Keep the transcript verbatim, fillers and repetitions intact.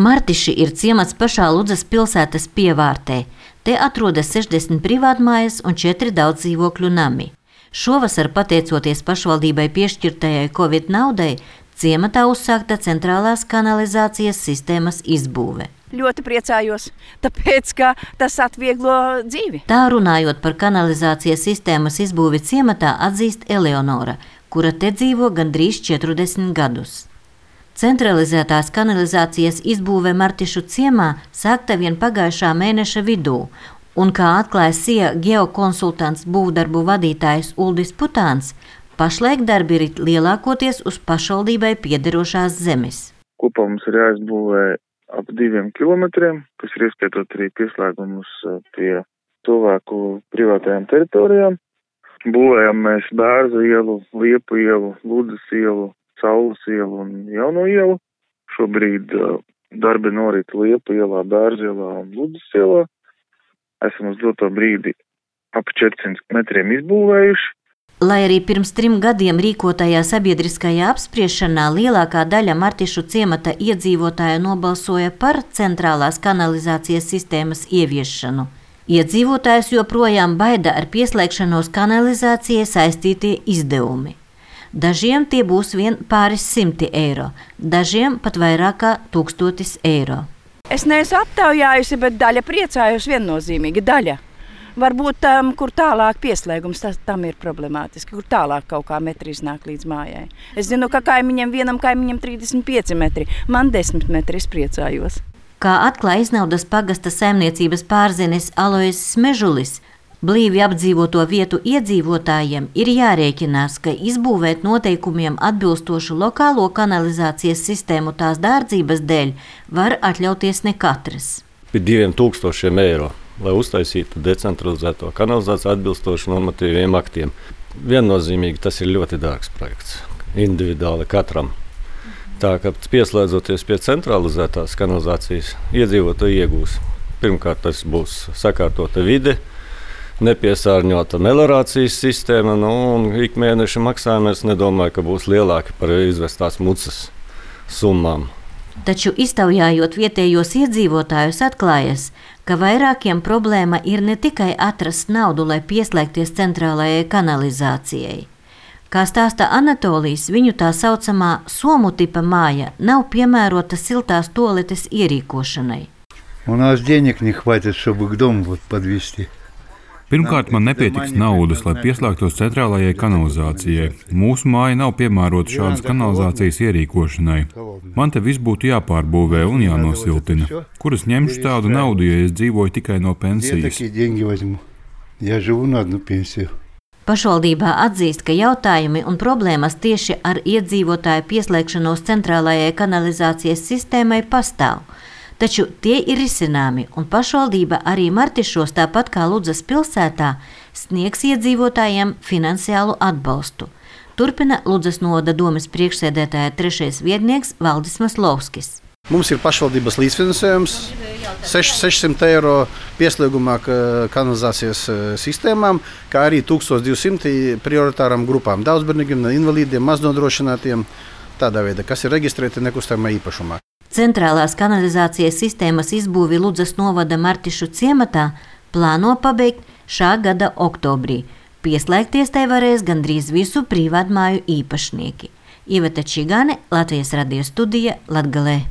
Martiši ir ciemats pašā Ludzas pilsētas pievārtē. Te atrodas sešdesmit privātmājas un četri daudzdzīvokļu nami. Šovasar, pateicoties pašvaldībai piešķirtajai Covid naudai, ciematā uzsākta centrālās kanalizācijas sistēmas izbūve. Ļoti priecājos, tāpēc, ka tas atvieglo dzīvi. Tā runājot par kanalizācijas sistēmas izbūvi ciematā atzīst Eleonora, kura te dzīvo gandrīz četrdesmit gadus. Centralizētās kanalizācijas izbūve Martišu ciemā sākta vien pagājušā mēneša vidū, un kā atklāja S I A geokonsultants būvdarbu vadītājs Uldis Putāns, pašlaik darbi ir lielākoties uz pašvaldībai piederošās zemes. Kopā mums ir jāizbūvē ap diviem kilometriem, kas ir ieskaitot arī pieslēgumus pie cilvēku privātajām teritorijām. Būvējam mēs Bērzu ielu, Liepu ielu, Ludzas ielu, Saules ielu un Jauno ielu. Šobrīd uh, darbi norit Liepu ielā, Bērzu ielā un Ludzas ielā. Esam uz doto brīdi ap četrsimt metriem izbūvējuši. Lai arī pirms trim gadiem rīkotajā sabiedriskajā apspriešanā lielākā daļa Martišu ciemata iedzīvotāju nobalsoja par centrālās kanalizācijas sistēmas ieviešanu. Iedzīvotājus joprojām baida ar pieslēgšanos kanalizācijai saistītie izdevumi. Dažiem tie būs vien pāris simti eiro, dažiem pat vairāk kā tūkstotis eiro. Es neesmu aptaujājusi, bet daļa priecājos viennozīmīgi. Daļa. Varbūt tam, kur tālāk pieslēgums, tas, tam ir problemātiski, kur tālāk kaut kā metri iznāk līdz mājai. Es zinu, ka kaimiņam vienam kaimiņam trīsdesmit pieci metri, man desmit metri, es priecājos. Kā atklāja Iznaudas pagasta saimniecības pārzinis Alojs Smežulis, blīvi apdzīvoto vietu iedzīvotājiem ir jārēķinās, ka izbūvēt noteikumiem atbilstošu lokālo kanalizācijas sistēmu tās dārdzības dēļ var atļauties ne katrs. Pie diviem tūkstošiem eiro, lai uztaisītu decentralizēto kanalizāciju atbilstoši normatīviem aktiem. Viennozīmīgi tas ir ļoti dārgs projekts, individuāli katram. Tā kā pieslēdzoties pie centralizētās kanalizācijas, iedzīvotāji iegūs. Pirmkārt, tas būs sakārtota vide, nepiesārņota melorācijas sistēma, nu, un ik mēneša maksājumi es nedomāju, ka būs lielāki par izvestās mucas summām. Taču iztaujājot vietējos iedzīvotājus atklājas, ka vairākiem problēma ir ne tikai atrast naudu, lai pieslēgties centrālajai kanalizācijai. Kā stāsta Anatolijs, viņu tā saucamā somu tipa māja nav piemērota siltās toaletes ierīkošanai. У нас денег не хватит, чтобы к дому вот подвести. Pirmkārt, man nepietiks naudas, lai pieslēgtos centrālajai kanalizācijai. Mūsu māja nav piemērota šādas kanalizācijas ierīkošanai. Man te viss būtu jāpārbūvē un jānosiltina. Kur es ņemšu tādu naudu, ja es dzīvoju tikai no pensijas? Pašvaldībā atzīst, ka jautājumi un problēmas tieši ar iedzīvotāju pieslēgšanos centrālajai kanalizācijas sistēmai pastāv. Taču tie ir risināmi, un pašvaldība arī Martišos, tāpat kā Ludzas pilsētā, sniegs iedzīvotājiem finansiālu atbalstu. Turpina Ludzas novada domes priekšsēdētāja trešais vietnieks Valdis Maslovskis. Mums ir pašvaldības līdzfinansējums sešsimt eiro pieslēgumā kanalizācijas sistēmām, kā arī tūkstoš divi simti prioritāram grupām, daudzbērnīgiem, invalīdiem, maznodrošinātiem, tādā veidā, kas ir reģistrēti nekustamā īpašumā. Centrālās kanalizācijas sistēmas izbūvi Ludzas novada Martišu ciematā plāno pabeigt šā gada oktobrī. Pieslēgties tai varēs gandrīz visu privātmāju īpašnieki. Iveta Čigāne, Latvijas radio studija, Latgalē.